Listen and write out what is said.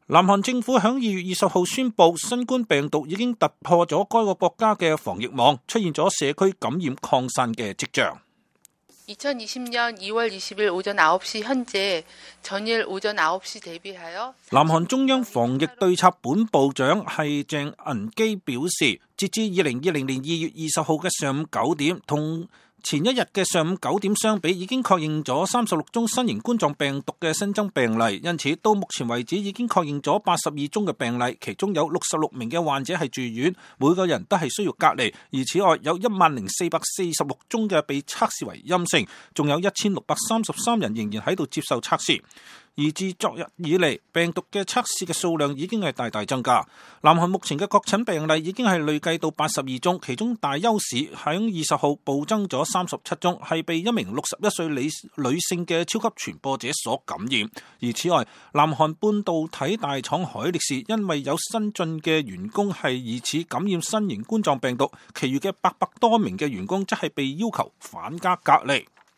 南韓政府響2月20號宣布，新冠病毒已經突破咗該個國家嘅防疫網，出現咗社區感染擴散嘅跡象。2020년 2월 20일 오전 9시 현재 전일 오전 9시 대비하여南韓中央防疫對策本部長係鄭銀基表示，截至2020年2月20號嘅上午9點，同前一日嘅上午9點相比，已經確認咗36宗新型冠狀病毒嘅新增病例，因此到目前為止已經確認咗82宗嘅病例，其中有66名嘅患者係住院，每個人都係需要隔離，而此外有10,446宗嘅被測試為陰性，仲有1633人仍然喺度接受測試。而自昨日以嚟，病毒嘅測試嘅數量已經係大大增加。南韓目前嘅確診病例已經係累計到82宗，其中大邱市喺20號暴增咗37宗，係被一名61歲女性嘅超級傳播者所感染。而此外，南韓半導體大廠海力士因為有新進嘅員工係疑似感染新型冠狀病毒，其餘嘅800多名嘅員工則係被要求返家隔離。